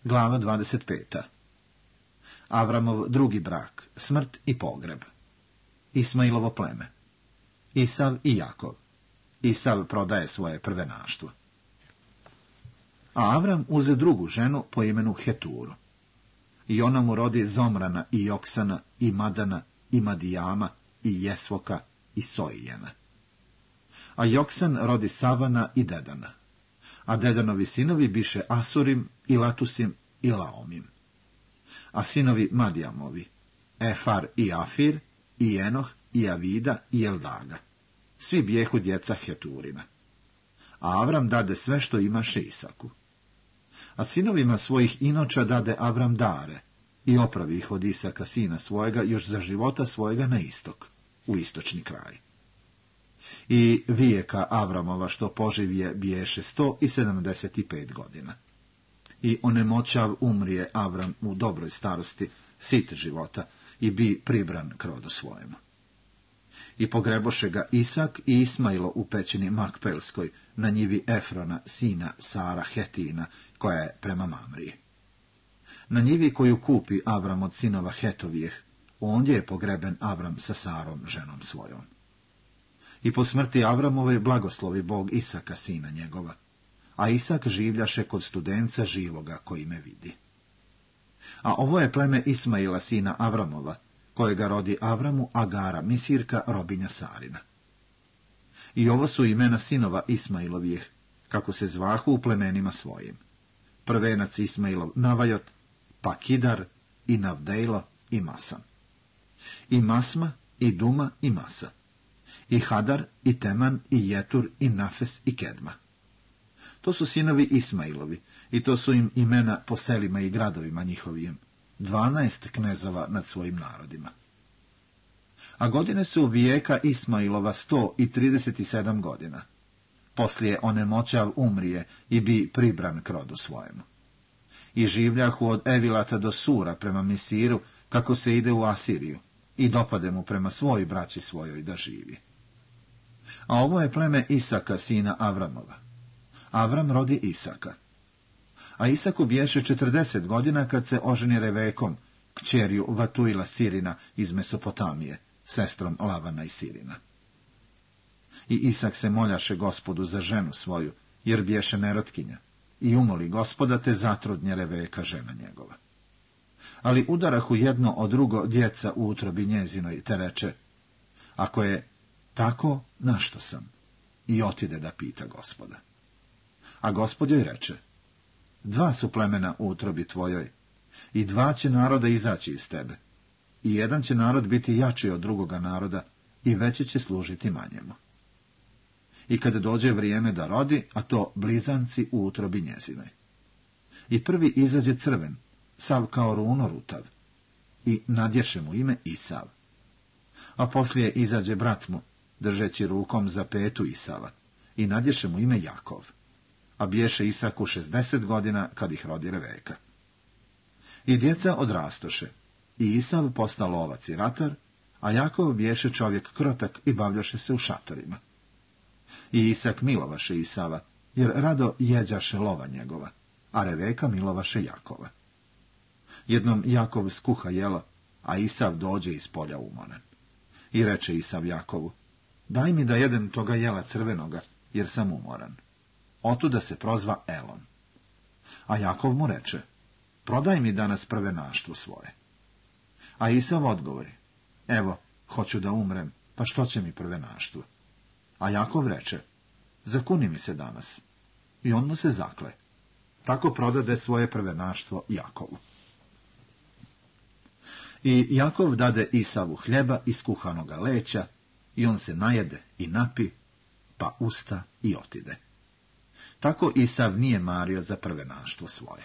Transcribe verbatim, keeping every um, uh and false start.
Glava dvadeset peta. Avramov drugi brak, smrt i pogreb. Ismailovo pleme. Isav i Jakov. Isav prodaje svoje prvenaštvo. A Avram uze drugu ženu po imenu Heturu. I ona mu rodi Zomrana i Joksana i Madana i Madijama i Jesvoka i Soijena. A Joksan rodi Savana i Dedana. A Dedanovi sinovi biše Asurim i Latusim i Laomim. A sinovi Madijamovi, Efar i Afir, i Enoh, i Avida, i Eldaga. Svi bijehu djeca Heturina. A Avram dade sve što imaše Isaku. A sinovima svojih inoča dade Avram dare, i opravi ih od Isaka sina svojega još za života svojega na istok, u istočni kraj. I vijeka Avramova što poživje biješe sto i sedamdeset pet godina. I onemoćav umrije Avram u dobroj starosti, sit života, i bi pribran k rodu svojemu. I pogreboše ga Isak i Ismailo u pećini Makpelskoj, na njivi Efrona, sina Sara Hetina, koja je prema Mamriji. Na njivi koju kupi Avram od sinova Hetovijeh, ondje je pogreben Avram sa Sarom, ženom svojom. I po smrti Avramove blagoslovi Bog Isaka, sina njegova, a Isak življaše kod studenca živoga koji me vidi. A ovo je pleme Ismaila, sina Avramova, kojega rodi Avramu Agara, Misirka, robinja Sarina. I ovo su imena sinova Ismailovijeh, kako se zvahu u plemenima svojim. Prvenac Ismailov Navajot, pa Kidar, i Navdejlo, i Masan. I Masma, i Duma, i Masa. I Hadar, i Teman, i Jetur, i Nafes, i Kedma. To su sinovi Ismailovi, i to su im imena po selima i gradovima njihovim, dvanaest knezova nad svojim narodima. A godine su vijeka Ismailova sto i trideset sedam godina. Poslije onemoćav umrije i bi pribran k rodu svojemu. I življahu od Evilata do Sura prema Misiru, kako se ide u Asiriju, i dopade mu prema svoj braći svojoj da živi. A ovo je pleme Isaka, sina Avramova. Avram rodi Isaka. A Isaku biješe četrdeset godina kad se oženi Revekom, kćerju Vatuila Sirina iz Mesopotamije, sestrom Lavana i Sirina. I Isak se moljaše Gospodu za ženu svoju, jer biješe nerotkinja, i umoli Gospoda, te zatrudnje Reveka, žena njegova. Ali udarahu jedno od drugo djeca u utrobi njezinoj, te reče, ako je tako, našto sam? I otide da pita Gospoda. A Gospod joj reče, dva su plemena u utrobi tvojoj, i dva će naroda izaći iz tebe, i jedan će narod biti jači od drugoga naroda, i veće će služiti manjemu. I kada dođe vrijeme da rodi, a to blizanci u utrobi njezinoj. I prvi izađe crven, sav kao runo rutav, i nadješe mu ime Isav. A poslije izađe brat mu, držeći rukom za petu Isava, i nadješe mu ime Jakov. A biješe Isaku šezdeset godina kad ih rodi Reveka. I djeca odrastoše, i Isav postao lovac i ratar, a Jakov biješe čovjek krotak i bavljaše se u šatorima. I Isak milovaše Isava, jer rado jeđaše lova njegova, a Reveka milovaše Jakova. Jednom Jakov skuha jela, a Isav dođe iz polja umoran. I reče Isav Jakovu, daj mi da jedem toga jela crvenoga, jer sam umoran. Otuda se prozva Elon. A Jakov mu reče, prodaj mi danas prvenaštvo svoje. A Isav odgovori, evo, hoću da umrem, pa što će mi prvenaštvo? A Jakov reče, zakuni mi se danas. I on mu se zakle. Tako prodade svoje prvenaštvo Jakovu. I Jakov dade Isavu hljeba iz kuhanoga leća, i on se najede i napi, pa usta i otide. Tako Isav nije mario za prvenaštvo svoje.